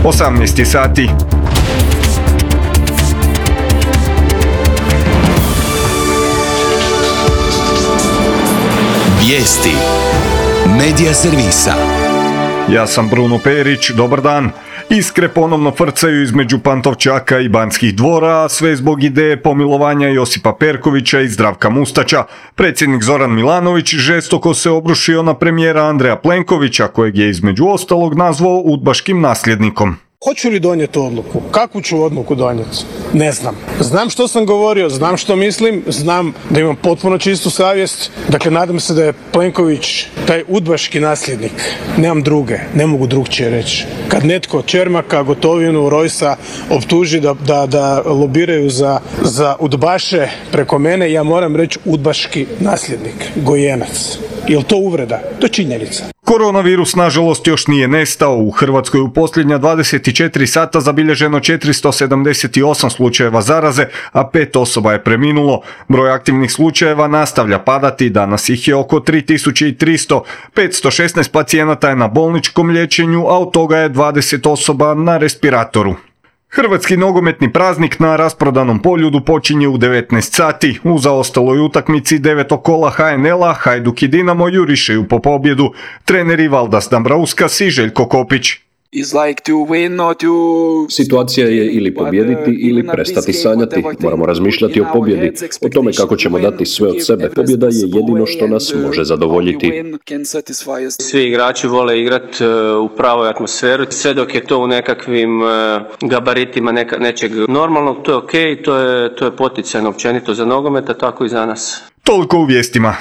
18 sati. Vijesti Medija servisa. Ja sam Bruno Perić, dobar dan. Iskre ponovno frcaju između Pantovčaka i Banskih dvora, a sve zbog ideje pomilovanja Josipa Perkovića i Zdravka Mustača. Predsjednik Zoran Milanović žestoko se obrušio na premijera Andreja Plenkovića, kojeg je između ostalog nazvao udbaškim nasljednikom. Hoću li donijeti odluku? Kakvu ću odluku donijeti? Ne znam. Znam što sam govorio, znam što mislim, znam da imam potpuno čistu savjest. Dakle, nadam se da je Plenković taj udbaški nasljednik. Nemam druge, ne mogu drugčije reći. Kad netko Čermaka, Gotovinu, Rojsa optuži da lobiraju za udbaše preko mene, ja moram reći udbaški nasljednik, gojenac. Je li to uvreda? To je činjenica. Koronavirus, nažalost, još nije nestao. U Hrvatskoj u posljednja 24 sata zabilježeno 478 slučajeva zaraze, a 5 osoba je preminulo. Broj aktivnih slučajeva nastavlja padati, danas ih je oko 3300. 516 pacijenata je na bolničkom liječenju, a od toga je 20 osoba na respiratoru. Hrvatski nogometni praznik na rasprodanom Poljudu počinje u 19 sati. U zaostaloj utakmici 9. kola HNL-a Hajduk i Dinamo jurišaju po pobjedu. Treneri Valdas Dambrauskas i Željko Kopić. Situacija je ili pobijediti ili prestati sanjati. Moramo razmišljati o pobjedi, o tome kako ćemo dati sve od sebe. Pobjeda je jedino što nas može zadovoljiti. Svi igrači vole igrati u pravoj atmosferi, sve dok je to u nekakvim gabaritima nečeg normalnog, to je okej, to je poticajno općenito za nogomet, a tako i za nas. Toliko u vijestima.